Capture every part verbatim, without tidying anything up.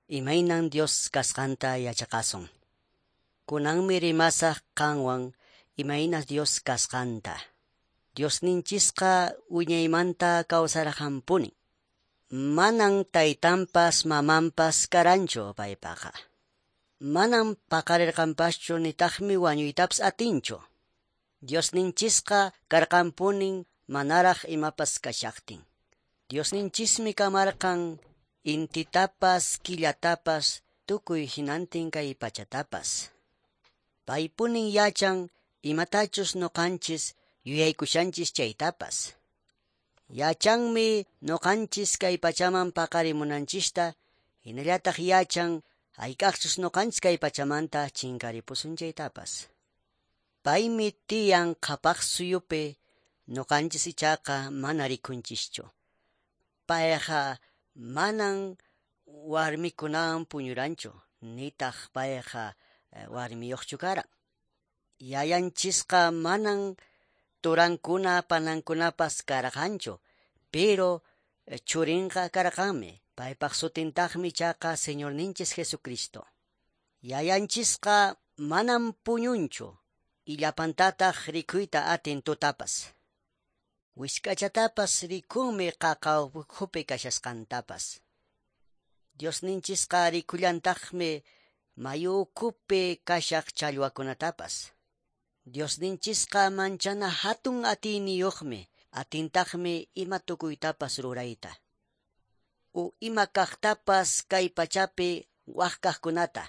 Imaynan Dios kasqanta yachaqasun. Kunanmi rimasaq qanwan imayna Dios kasqanta. Diosninchisqa wiñaymanta kawsarqanpuni. Manan taytanpas mamanpas karanchu paypaqa. Manan paqarirqanpaschu nitaqmi wañuytapas atinchu. Diosninchisqa karqanpunin manaraq imapas kashaqtin. Diosninchismi kamarqan intitapas, killatapas, tukuy hinantin kay pachatapas. Paypunin yachan imatachus nuqanchis yuyaykushanchis chaytapas. Yachanmi nuqanchis kay pachaman paqarimunanchista, hinallataq yachan hayk'aqchus nuqanchis kay pachamanta chinkaripusun chaytapas. Paymi tiyan qhapaq suyupi nuqanchis ichaqa mana rikunchischu. Payqa manan warmikunawan puñuranchu, nitaq payqa warmiyuqchu karan. Yayanchisqa manan turankuna panankunapas karqanchu, pero churinqa karqanmi. Paypaq sutintaqmi ichaqa Señorninchis Jesucristo. Yayanchisqa manan puñunchu, illapantataq rikuyta atin tutapas. Wisk'achatapas rikunmi qaqa ukhupi kashasqantapas. Diosninchisqa rikullantaqmi mayu ukhupi kashaq challwakunatapas. Diosninchisqa manchana hatun atiyniyuqmi, atintaqmi ima tukuytapas rurayta. U ima kaqtapas kay pachapi waq kaqkunata.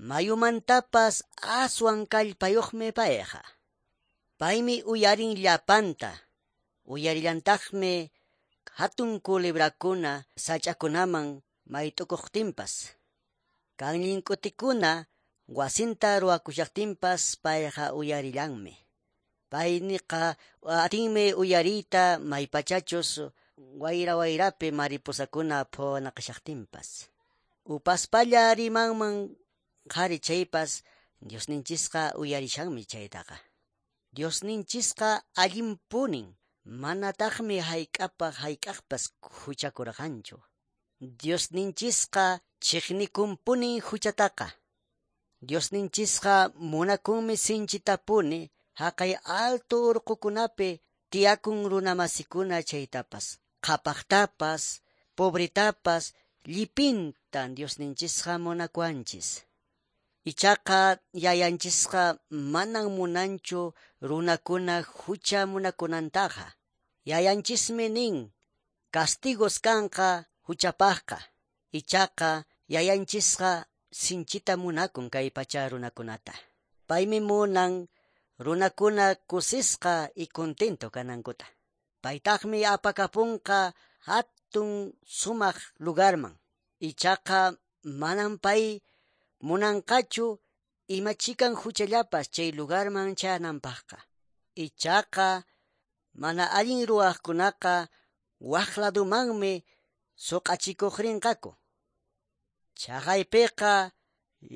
Mayumantapas aswan kallpayuqmi payqa. Paymi uyarin llapanta, uyarillantaqmi hatun culebrakuna sach'akunaman mayt'ukuqtinpas. Kanllink'utikuna wasinta ruwakushaqtinpas payqa uyarillanmi. Payniqa atinmi uyariyta maypachachus wayra wayrapi mariposakuna phuwanaqashaqtinpas. Upaspalla rimanman qhari chaypas Diosninchisqa uyarishanmi chaytaqa. Diosninchisqa allinpunin, manataqmi hayk'apaq hayk'aqpas huchakurqanchu. Diosninchisqa chiqnikunpunin huchataqa. Diosninchisqa munakunmi sinchitapuni haqay alto urqukunapi tiyakun runamasikuna chaytapas. Qhapaqtapas, pobretapas, llipintan Diosninchisqa munakuwanchis. Ichaqa yayanchisqa manan munanchu runakuna hucha munakunantaqa. Yayanchismi nin, castigos kanqa huchapaqqa. Ichaqa yayanchisqa sinchita munakun kay pacha runakunata. Paymi munan runakuna kusisqa y contento kanankuta. Paytaqmi apakapunqa hatun sumaq lugarman. Ichaqa manan pay munanqachu ima chikan huchallapas chay lugarman chayananpaqqa. Ichaqa mana allin ruwaqkunaqa waq ladumanmi suq'achikuq rinqaku. Chaqaypiqa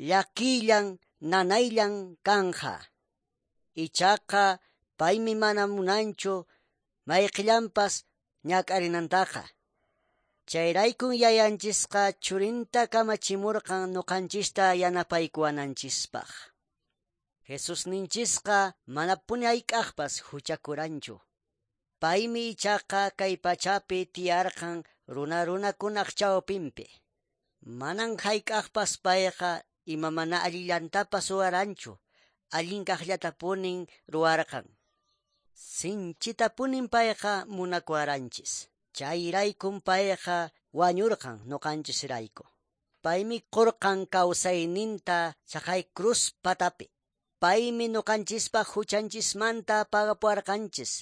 llakillan nanayllan kanja. Ichaqa paymi mana munanchu mayqillanpas ñak'arinantaqa. Chayraykun yayanchisqa churinta kamachimurqan nuqanchista yanapaykuwananchispaq. Jesusninchisqa manapuni hayk'aqpas huchakuranchu. Paymi ichaqa kay pachapi tiyarqan runa runakunaq chawpinpi. Manan hayk'aqpas payqa ima mana allillantapas ruwaranchu, allin kaqllatapunin ruwarqan. Sinchitapunin payqa munakuwaranchis. Chayraykun payqa wañurqan nuqanchisrayku. Paymi qurqan kawsayninta chaqay cruz patapi. Paymi nuqanchispaq huchanchismanta pagapuwarqanchis.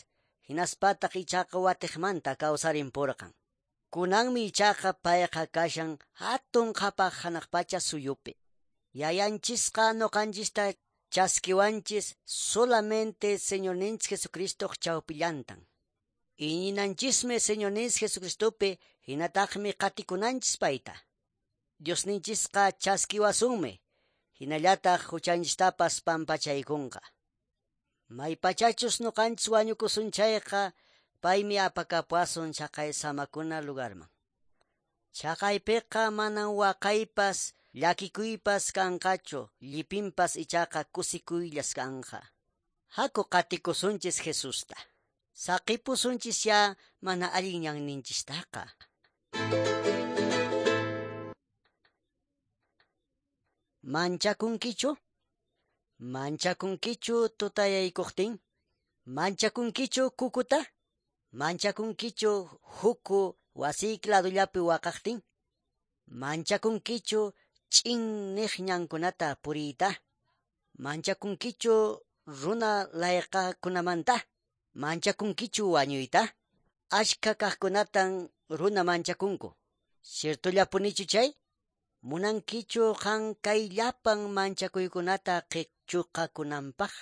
Hinaspataq ichaqa watiqmanta kawsarimpurqan. Kunanmi ichaqa payqa kashan hatun qhapaq hanaq pacha suyupi. Yayanchisqa nuqanchista chaskiwanchis solamente Señorninchis Jesucristoq chawpillantan. Iñinanchismi Señorninchis Jesucristopi hinataqmi qatikunanchis payta. Diosninchisqa chaskiwasunmi, hinallataq huchanchistapas pampachaykunqa. Maypachachus nuqanchis wañukusun chayqa, paymi apakapuwasun chaqay samakuna lugarman. Chaqaypiqa manan waqaypas, llakikuypas kanqachu, llipinpas ichaqa kusikuyllas kanqa. Haku qatikusunchis Jesusta. Saqipusunchis ya mana allin ñanninchistaqa. Manchakunkichu? Manchakunkichu tutayaykuqtin? Manchakunkichu kukuta? Manchakunkichu huku wasiyki ladullapi waqaqtin? Manchakunkichu ch'in niq ñankunata puriyta? Manchakunkichu runa layqakunamanta? Manchakunkichu wañuyta? Ashka kaqkunatan runa manchakunku. Ciertollapunichu chay? Munankichu qan kay llapan manchakuykunata qichuqakunanpaq?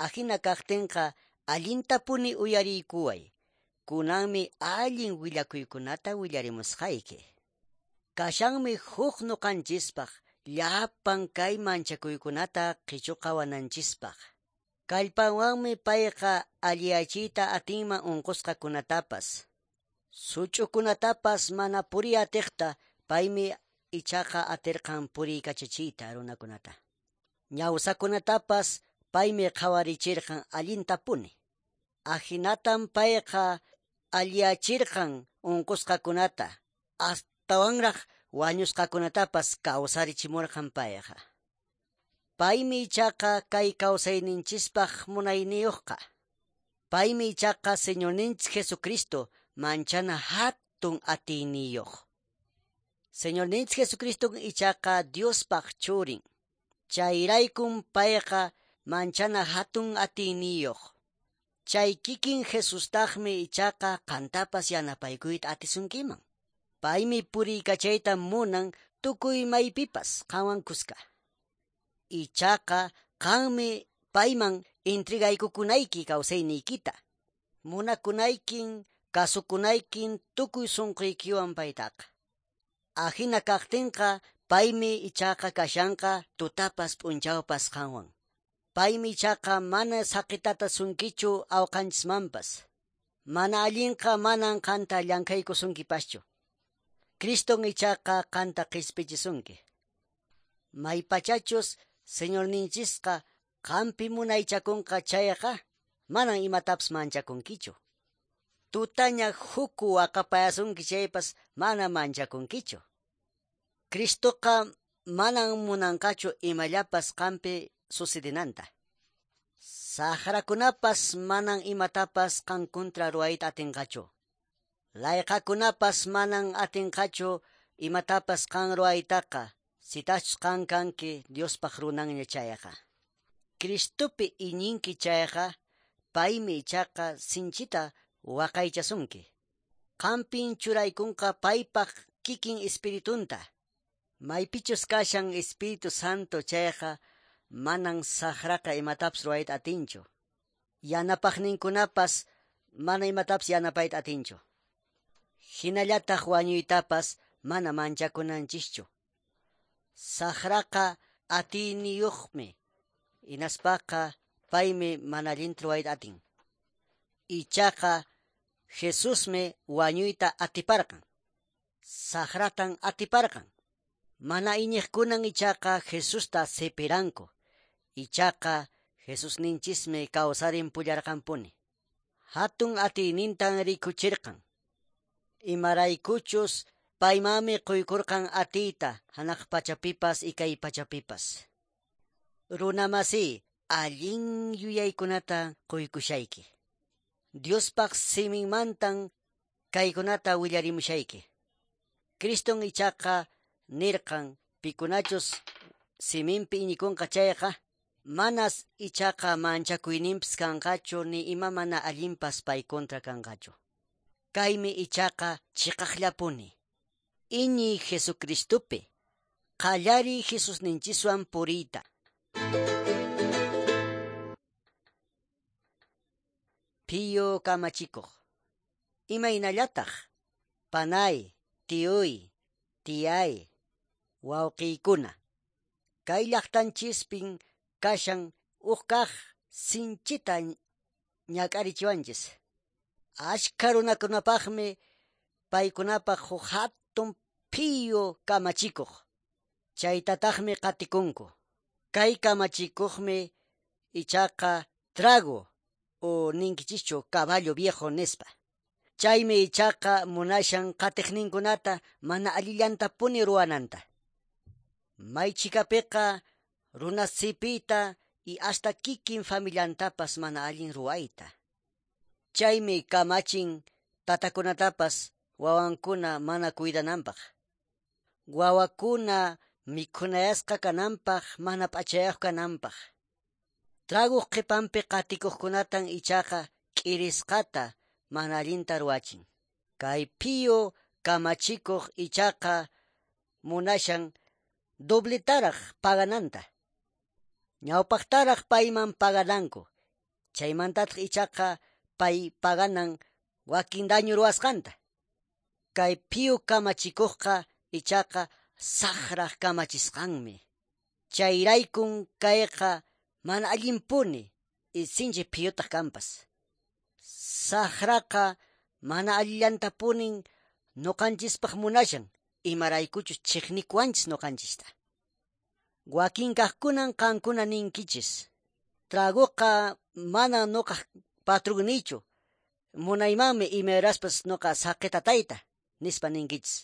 Ahina kaqtinqa allintapuni uyariykuway. Kunanmi allin willakuykunata willarimusqayki. Kashanmi huk nuqanchispaq llapan kay manchakuykunata qichuqawananchispaq. Kallpanwanmi payqa alliyachiyta atinman unqusqakunatapas. Such'ukunatapas mana puriy atiqta paymi ichaqa atirqan puriykachachiyta runakunata. Ñawsakunatapas paymi qhawarichirqan allintapuni. Ahinatan payqa alliyachirqan unqusqakunata, astawanraq wañusqakunatapas kawsarichimurqan payqa. Paymi ichaqa kay kawsayninchispaq munayniyuqqa. Paymi ichaqa Señorninchis Jesucristo manchana hatun atiyniyuq. Señorninchis Jesucristo ichaqa Diospaq churin. Chayraykun payqa manchana hatun atiyniyuq. Chay kikin Jesustaqmi ichaqa qantapas yanapaykuyta atisunkiman. Paymi puriykachayta munan tukuy maypipas qanwan kuska. Ichaqa qanmi payman intrigaykukunayki kawsayniykita. Munakunaykin, kasukunaykin tukuy sunquykiwan paytaqa. Ahina kaqtinqa paymi ichaqa kashanqa tutapas p'unchawpas qanwan. Paymi ichaqa mana saqitata sunkichu awqanchismanpas. Mana allinqa manan qanta llankaykusunkipaschu. Criston ichaqa qanta qispichisunki. Maypachachus Señorninchisqa qampi munaychakunqa chayqa manan imatapas manchakunkichu. Tutaña huku waqapayasunki chaypas mana manchakunkichu. Cristoqa manan munanqachu imallapas qampi sucedinanta. Saqrakunapas manan imatapas qan kontra ruwayta atinqachu. Layqakunapas manan atinqachu imatapas qan ruwaytaqa, sitachus qan kanki Diospaq runanña chayqa. Cristopi iñinki chayqa, paymi ichaqa sinchita waqaychasunki. Qampin churaykunqa paypaq kikin espiritunta. Maypichus kashan Espíritu Santo chayqa, manan saqraqa imatapas ruwayta atinchu. Yanapaqninkunapas mana imatapas yanapayta atinchu. Hinallataq wañuytapas mana manchakunanchischu. Saqraqa atiyniyuqmi, hinaspaqa paymi mana allinta ruwayta atin. Ichaqa Jesusmi wañuyta atiparqan. Saqratan atiparqan. Mana iñiqkunan ichaqa Jesusta sipiranku. Ichaqa Jesusninchismi kawsarinpullarqanpuni. Hatun atiynintan rikuchirqan. Imaraykuchus paymanmi quykurqan atiyta hanaq pachapipas ikay pachapipas. Runamasi allin yuyaykunata quykushayki. Diospaq siminmantan kaykunata willarimushayki. Criston ichaqa nirqan pikunachus siminpi iñikunqa chayqa, manas ichaqa manchakuyninpis kanqachu ni ima mana allinpas pay kontra kanqachu. Kaymi ichaqa chiqaqllapuni. Iñiy Jesucristopi, qallariy Jesusninchiswan puriyta. Phiyu kamachikuq. Imaynallataq, panay, tiyuy, tiyay, wawqiykuna. Kay llaqtanchispin kashan huk kaq sinchita ñak'arichiwanchis. Ashka runakunapaqmi paykunapaq huk hatun hatun phiyu kamachikuq. Chaytataqmi qatikunku. Kay kamachikuqmi ichaqa trago o ninkichischu caballo viejo nispa. Chaymi ichaqa munashan qatiqninkunata mana allillantapuni ruwananta. Maychikapiqa runa sipita y hasta kikin familiantapas mana allin ruwayta. Chaymi kamachin tatakunatapas wawankuna mana cuidananpaq. Wawakuna mikhunayasqa kananpaq mana p'achayuq kananpaq. Traguq qhipanpi qatikuqkunatan ichaqa k'irisqata mana allinta ruwachin. Kay phiyu kamachikuq ichaqa munashan dobletaraq pagananta. Ñawpaqtaraq payman pagananku. Chaymantataq ichaqa pay paganan wakin daño ruwasqanta. Kay phiyu kamachikuqqa ichaqa saqraq kamachisqanmi. Chayraykun kayqa mana allinpuni y sinchi phiyutaq kanpas. Saqraqa mana allillantapunin nuqanchispaq munashan imaraykuchus chiqnikuwanchis nuqanchista. Wakin kaqkunan qankuna ninkichis. Traguqa mana nuqaq patrunnichu. Munaymanmi imayraspas nuqa saqitatayta nispa ninkichis.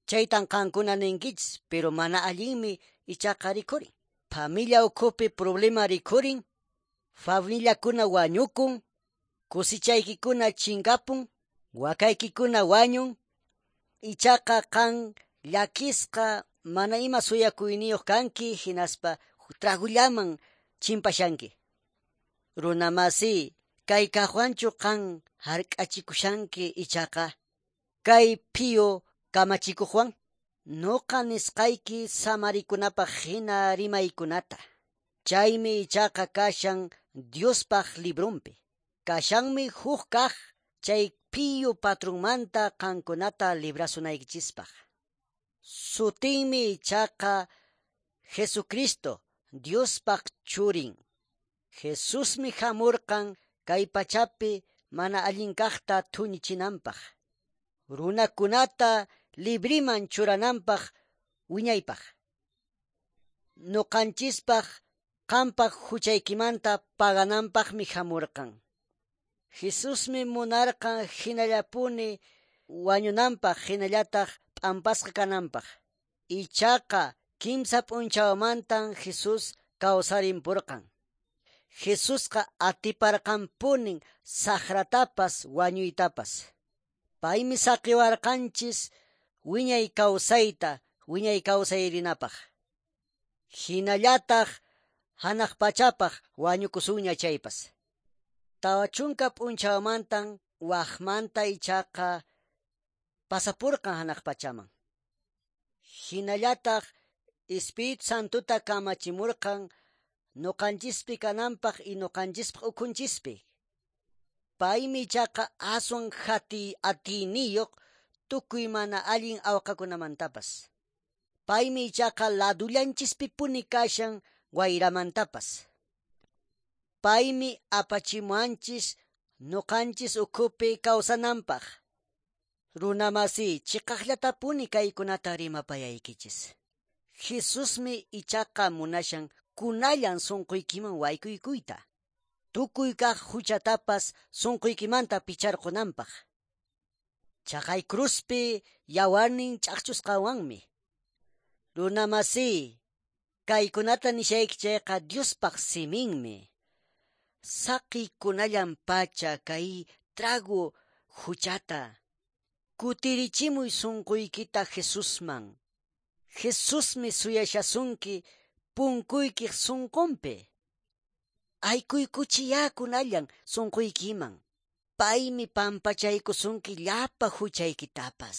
Chaytan qankuna ninkichis, pero mana allinmi ichaqa rikhurin. Familia ukhupi problema rikhurin, familiakuna wañukun, kusichaykikuna chinkapun, wakaykikuna wañun, ichaqa qan llakisqa mana ima suyakuyniyuq kanki hinaspa tragullaman chimpashanki. Runamasi, kay kaqwanchu qan hark'achikushanki ichaqa kay phiyu kamachikuqwan nuqa nisqayki samarikunapaq hina rimaykunata. Chaymi ichaqa kashan Diospaq librunpi. Kashanmi huk kaq chay phiyu patrunmanta qankunata librasunaykichispaq. Sutinmi ichaqa Jesucristo, Diospaq churin. Jesusmi hamurqan kay pachapi mana allin kaqta thuñichinanpaq. Runakunata libriman churananpaq wiñaypaq. Nuqanchispaq qampaq huchaykimanta pagananpaqmi hamurqan. Jesusmi munarqan hinallapuni wañunanpaq hinallataq p'ampasqa kananpaq. Ichaqa kimsa p'unchawmantan Jesús kawsarimpurqan. Jesusqa atiparqanpunin saqratapas wañuytapas. Paymi saqiwarqanchis wiñay kawsayta wiñay kawsayrinapaq. Hinallataq hanaq pachapaq wañukusunña chaypas. Tawa chunka p'unchawmantan waqmanta ichaqa pasapurqan hanaq pachaman. Hinallataq Espíritu Santuta kamachimurqan nuqanchispi kananpaq y nuqanchispaq ukhunchispi. Paymi ichaqa aswan hati atiyniyuq tukuy mana allin awqakunamantapas. Paymi ichaqa ladullanchispipuni kashan wayramantapas. Paymi apachimuanchis nuqanchis ukhupi kawsananpaq. Runamasi, chiqaqllatapuni kaykunata rimapayaykichis. Jesusmi ichaqa munashan kunallan sunquykiman waykuykuyta. Tukuy kaq huchatapas sunquykimanta picharqunanpaq. Chaqay cruzpi yawarnin ch'aqchusqawanmi. Runamasi, kaykunata nishayki chayqa Diospaq siminmi. Saqikunallan pacha kay trago huchata. Kutirichimuy sunquykita Jesusman. Jesusmi suyashasunki punkuykiq sunqunpi. Aykuykuchiyá kunallan sunquykiman. Paymi pampachaykusunki llapa huchaykitapas.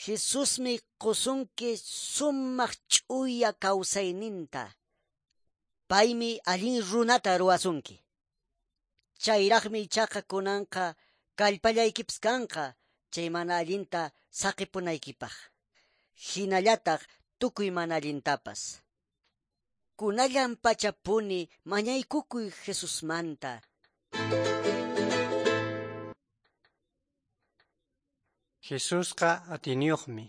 Jesusmi qusunki sumaq ch'uya kawsayninta. Paymi allin runata ruwasunki. Chayraqmi ichaqa kunanqa kallpallaykipas kanqa chay mana allinta saqipunaykipaq. Hinallataq tukuy mana allintapas. Kunallan pachapuni mañaykukuy Jesusmanta. Jesusqa atiyniyuqmi.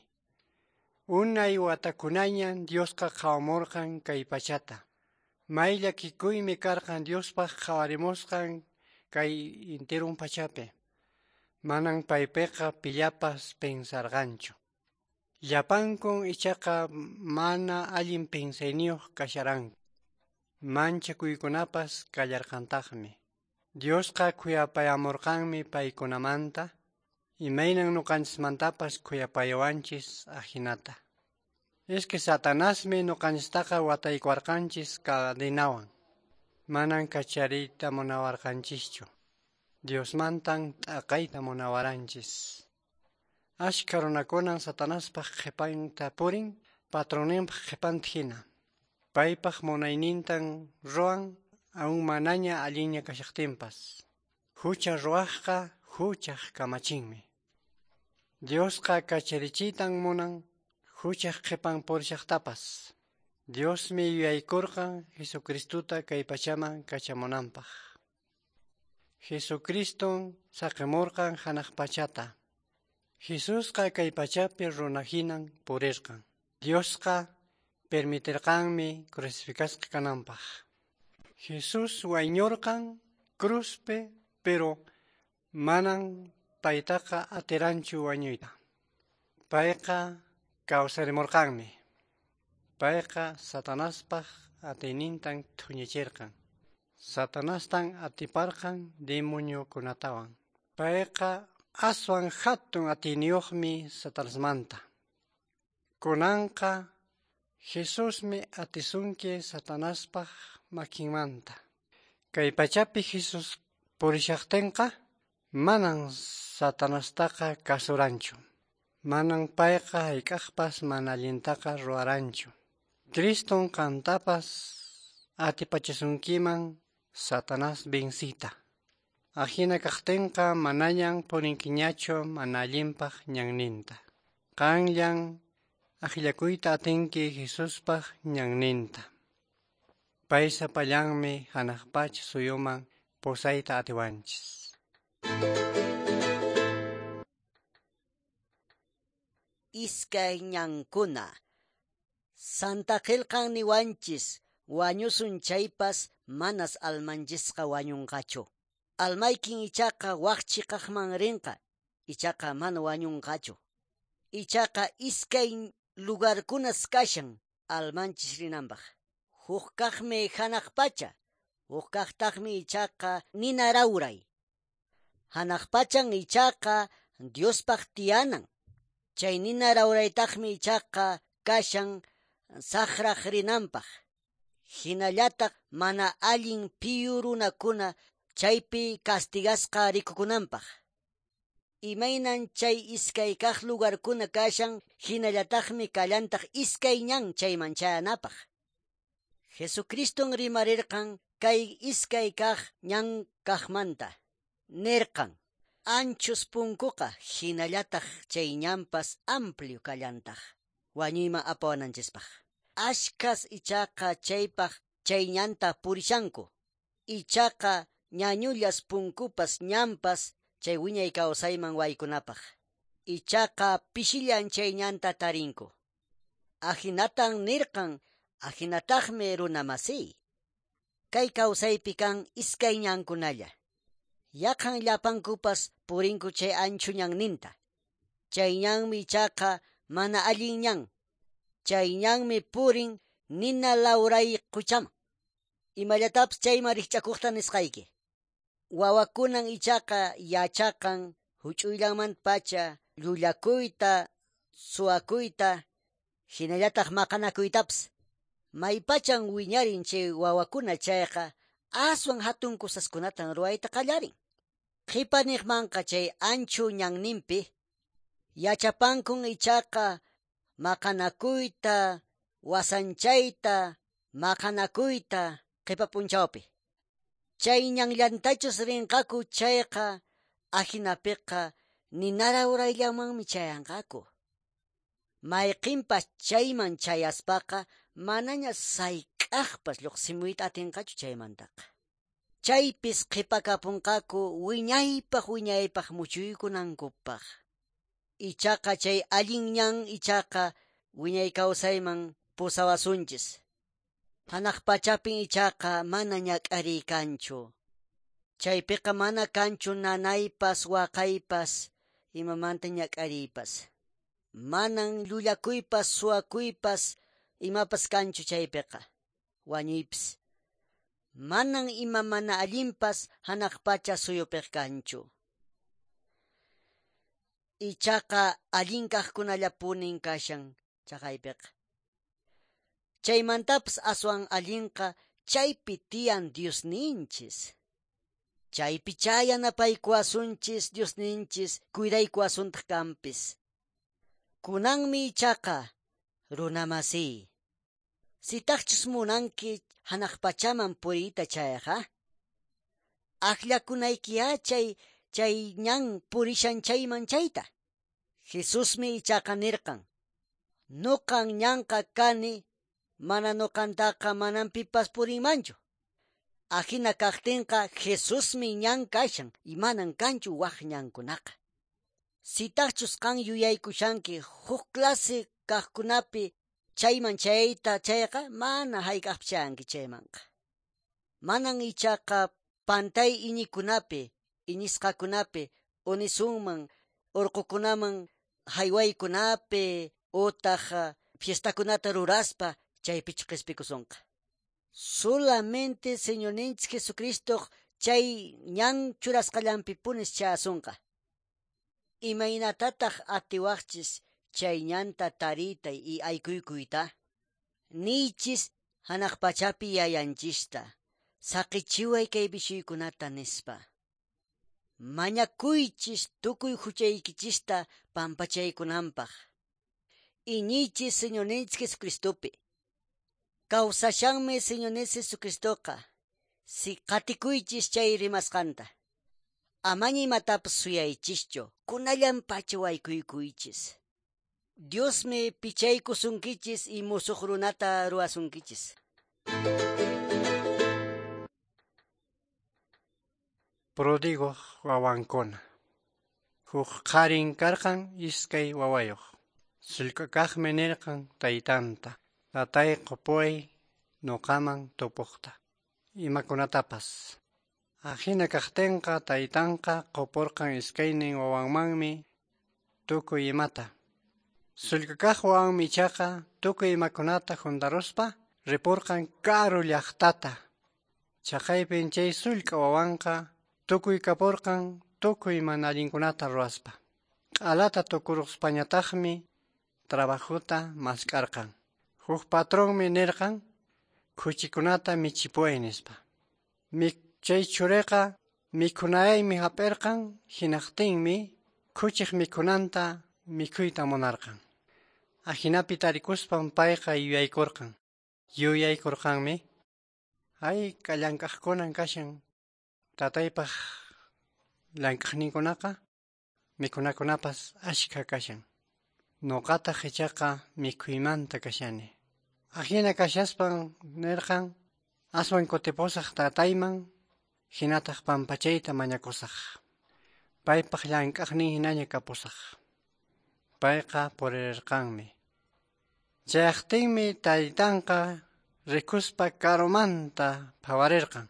Unay watakunañan Diosqa qhawamurqan kay pachata. May llakikuymi karqan Diospaq qhawarimusqan kay intirun pachapi. Manan paypiqa pillapas pensarqanchu. Llapankun ichaqa mana allin pensayniyuq kasharanku. Manchakuykunapas kallarqantaqmi. Diosqa khuyapayamurqanmi paykunamanta, imaynan ñuqanchismantapas khuyapayawanchis ahinata. Es que Satanasmi ñuqanchistaqa wataykuwarqanchis cadenawan. Manan kachariyta munawarqanchischu. Diosmantan t'aqayta munawaranchis. Ashka runakunan Satanaspaq qhipanta purin, patroninpaq qhipanta hina. Paypaq munaynintan ruwan aún manaña allinña kashaqtinpas. Hucha ruwaqqa huchaq kamachinmi. Diosqa kacharichiytan munan huchaq qhipan purishaqtapas. Diosmi yuyaykurqan Jesucristuta kay pachaman kachamunanpaq. Jesucriston saqimurqan hanaq pachata. Jesusqa kay pachapi runa hinan purirqan. Diosqa permitirqanmi crucificasqa kananpaq. Jesús wañurqan cruzpi, pero manan paytaqa atiranchu wañuyta. Payqa kawsarimurqanmi. Payqa Satanaspaq atiynintan thuñichirqan. Satanastan atiparqan demoniokunatawan. Payqa aswan hatun atiyniyuqmi Satanasmanta. Kunanqa Jesusmi atisunki Satanaspaq makinmanta. Kay pachapi Jesús purishaqtinqa manan Satanastaqa kasuranchu. Manan payqa hayk'aqpas mana allintaqa ruwaranchu. Criston qantapas atipachisunkiman Satanás vencita. Ahina kaqtinqa manañan purinkiñachu mana allinpaq ñanninta. Qanllan akllakuyta atinki Jesuspaq ñanninta. Pay sapallanmi hanaq pacha suyuman pusayta atiwanchis. Iskay ñankuna. Santa qillqan niwanchis wañusun chaypas manas almanchisqa wañunqachu. Almaykin ichaqa wak chiqaqman rinqa, ichaqa mana wañunqachu. Ichaqa iskay lugarkunas kashan almanchis rinanpaq. Huk kaqmi hanaq pacha, huk kaqtaqmi ichaqa nina rawray. Hanaq pachan ichaqa Diospaq tiyanan. Chay nina rawraytaqmi ichaqa kashan saqraq rinanpaq. Hinallataq mana allin piyu runakuna chaypi castigasqa rikukunanpaq. Imaynan chay iskay kaq lugarkuna kashan, hinallataqmi kallantaq iskay ñan chayman chayanapaq. Jesucriston rimarirqan kay iskay kaq ñan kaqmanta. Nirqan, anchus punkuqa hinallataq chay ñanpas amplio kallantaq, wañuyman apawananchispaq. Ashkas ichaqa chaypaq chay ñanta purishanku. Ichaqa ñañullas punkupas ñanpas chay wiñay kawsayman waykunapaq. Ichaqa pishillan chay ñanta tarinku. Ahinatan nirqan, ahinataqmi runa masiy. Kay kawsaypi kan iskay ñankunalla. Yaqan llapankupas purinku chay anchu ñanninta. Chay ñanmi ichaqa mana allin ñan. Chay ñanmi purin nina lawray quchaman. Imallatapis chayman rikch'akuqta nisqayki. Wawakunan ichaqa yachaqan huch'uyllanmanta pacha llullakuyta, suwakuyta, hinallataq maqanakuytapas. Maypachan wiñarin chay wawakuna chayqa aswan hatun kusaskunatan ruwayta qallarin. Qhipaniqmanqa chay anchu ñanninpi yachapankun ichaqa maqanakuyta, wasanchayta, maqanakuyta qhipa p'unchawpi. Chay ñanllantachus rinqaku chayqa ahinapiqa ninara urayllamanmi chayanqaku. Mayqinpas chayman chayaspaqa manaña sayk'aqpas lluqsimuyta atinqachu chaymantaqa. Chaypis qhipakapunqaku wiñaypaq wiñaypaq muchuykunankupaq. Ichaqa chay allin ñan ichaqa wiñay kawsayman pusawasunchis. Hanaq pachapin ichaqa mana ñak'ariy kanchu. Chaypiqa mana kanchu nanaypas waqaypas imamanta ñak'ariypas. Manan llullakuypas suwakuypas imapas kanchu chaypiqa. Wañuypas. Manan ima mana allinpas hanaq pacha suyupiq kanchu. Ichaqa allin kaqkunallapunin kashan chaqaypiqa. Chaymantapas aswan allinqa chaypi tiyan Diosninchis. Chaypi chayanapaykuwasunchis Diosninchis cuidaykuwasuntaq kanpis. Kunanmi ichaqa runamasiy. Sitaqchus munanki hanaq pachaman puriyta chayqa, akllakunaykiya chay chay ñan purishan chayman chayta. Jesusmi ichaqa nirqan, nuqan ñanqa kani, mana nuqantaqa manan pipas purinmanchu. Ajina kaqtinqa Jesusmi ñan kashan y manan kanchu waq ñankunaqa. Sitaqchus qan yuyaykushanki huk clase kaqkunapi chayman chayta chayqa mana hayk'aqpi chayanki chaymanqa. Manan ichaqa pantay iñikunapi, iñisqakunapi, unisunman, urqukunaman haywaykunapi, utaq fiestakunata ruraspa chaypichu qispikusunqa. Solamente Señorninchik Jesucristo chay ñan churasqallanpipunis chayasunqa. Imaynatataq atiwaqchis chay ñanta tariyta y aykuykuyta? Niychis hanaq pachapi yayanchista, saqichiway kay bishuykunata nispa. Mañakuychis tukuy huchaykichista pampachaykunanpaq. Iñiychis Señorninchik Jesucristopi. Kawsashanmi Señorninchik Jesucristoqa. Si qatikuychis chay rimasqanta. Amaña imatapas suyaychischu, kunallan pacha waykuykuychis. Diosmi pichaykusunkichis y musuq runata ruwasunkichis. Pródigo wawankuna. Huk qharin karqan iskay wawayuq. Sullk'akaqmi nirqan taytanta, tatay qupuway nuqaman tupuqta, imakunatapas. Ajina kaqtinqa taytanqa qupurqan iskaynin wawanmanmi tukuy imata. Sullk'akaq wawanmi ichaqa tukuy imakunata juntaruspa ripurqan karu llaqtata. Chaqaypin chay sullk'a wawanqa tukuy kapurqan tukuy mana allinkunata ruwaspa. Q'alata tukuruspañataqmi trabajuta mask'arqan. Huk patronmi nirqan khuchikunata michipuway nispa. Chay churiqa mikhunayaymi hap'irqan hinaqtinmi khuchiq mikhunanta mikhuyta munarqan. Ajinapi tarikuspan payqa yuyaykurqan. Yuyaykurqanmi hayk'a llank'aqkunan kashan tataypaq llank'aqninkunaqa mikhunakunapas ashkha kashan. Nuqataq ichaqa mikhuymanta kashani. Ajina kashaspan nirqan aswan kutipusaq tatayman hinataq pampachayta mañakusaq. Paypaq llank'aqnin hinaña kapusaq. Payqa purirqanmi. Chayaqtinmi taytanqa rikuspa karumanta phawarirqan.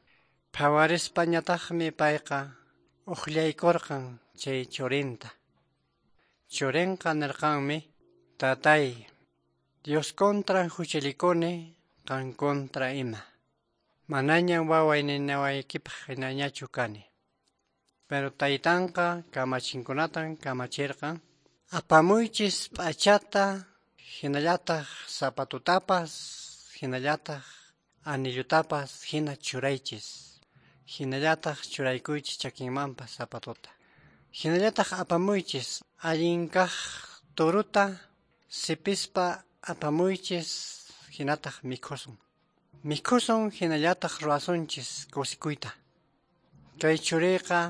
Phawarispañataqmi payqa uqllaykurqan chay churinta. Churinqa nirqanmi, tatay, Dios contran huchallikuni, qan contra ima. Manaña waway ninawaykipaq hinañachu kani. Pero taytanqa kamachinkunatan kamachirqan, apamuychis p'achata, hinallataq zapatutapas, hinallataq anillutapas hina churaychis. Hinallataq churaykuychis chakinmanpas zapatuta. Hinallataq apamuychis allin kaq turuta sipispa apamuychis hinataq mikhusun. Mikhusun hinallataq ruwasunchis kusikuyta. Kay churiqa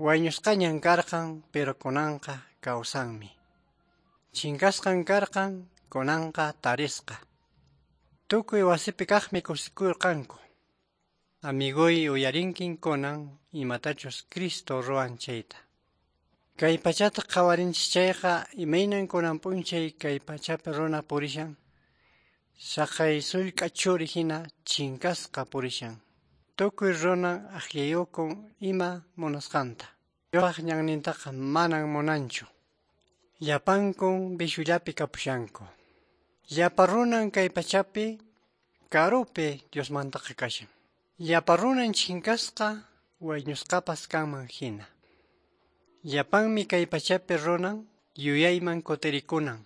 wañusqañan karqan, pero kunanqa kawsanmi. Chinkasqan karqan, kunanqa tarisqa. Tukuy wasipi kaqmi kusikurqanku. Amiguy uyarinkin kunan imatachus Cristo ruwan chayta. Kay pachata qhawarinchis chayqa imaynan kunan p'unchay kay pachapi runa purishan. Saqay sullk'a churi hina chinkasqa purishan. Tukuy runa akllayukun ima munasqanta. Diospaq ñannintaqa manan munanchu. Llapankun vishullapi kapushanku. Llapa runan kay pachapi karupi Diosmantaqa kashan. Llapa runan chinkasqa wañusqapas kanman hina. Llapanmi kay pachapi runan yuyayman kutirikunan.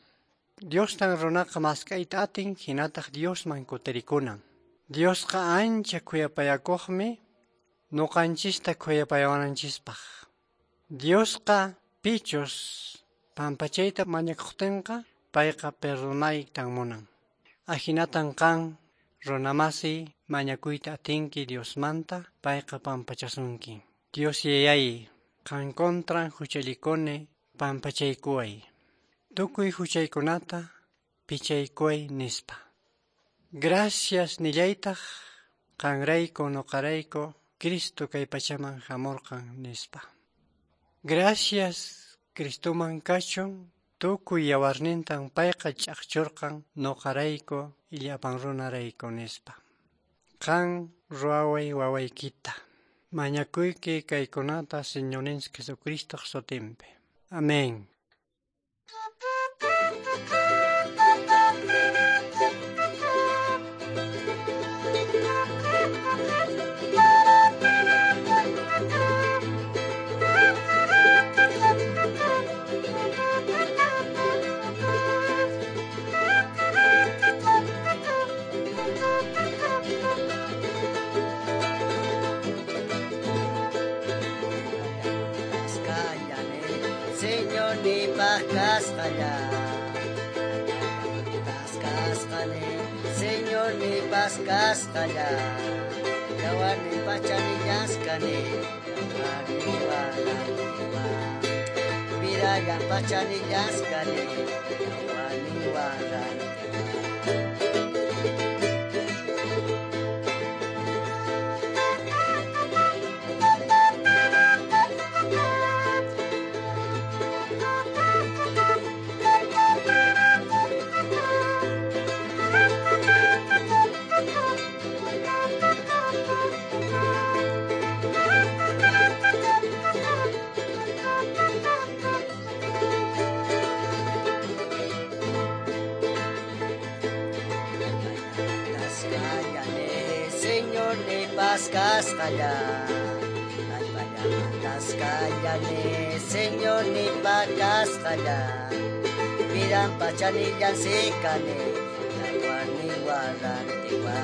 Diostan runaqa mask'ayta atin hinataq Diosman kutirikunan. Diosqa ancha khuyapayakuqmi nuqanchista khuyapayawananchispaq. Diosqa pichus pampachayta mañakuqtinqa payqa perdonaytan munan. Ahinatan qan runamasi mañakuyta atinki Diosmanta payqa pampachasunki. Dios yayay, qan contran huchallikuni pampachaykuway. Tukuy huchaykunata pichaykuway nispa. Gracias nillaytaq qanrayku nuqarayku Cristo kay pachaman hamurqan nispa. Gracias Cristoman kachun tukuy yawarnintan payqa ch'aqchurqan nuqarayku llapan runarayku nispa. Qan ruwaway wawaykita. Mañakuyki kaykunata Señorninchik Jesucristoq sutinpi. Amén. Señor ni pascasqalla, pascasqane, Señor ni pascasqalla, yawarni pachanillasqane, yawarni warantiwa, virallan pachanillasqane, yawarni warantiwa. Señor ni pascasqalla, allpallamantasqallane, Señor ni pakasqalla, vidan pachanillan sikane, yawarni warantiwa,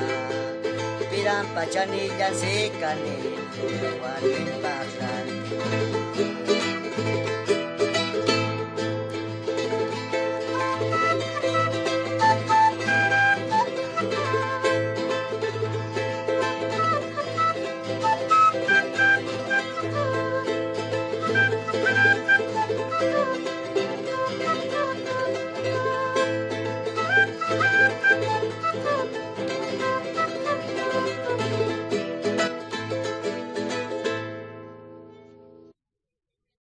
vidan pachanillan sikane, yawarni pakrantiwa.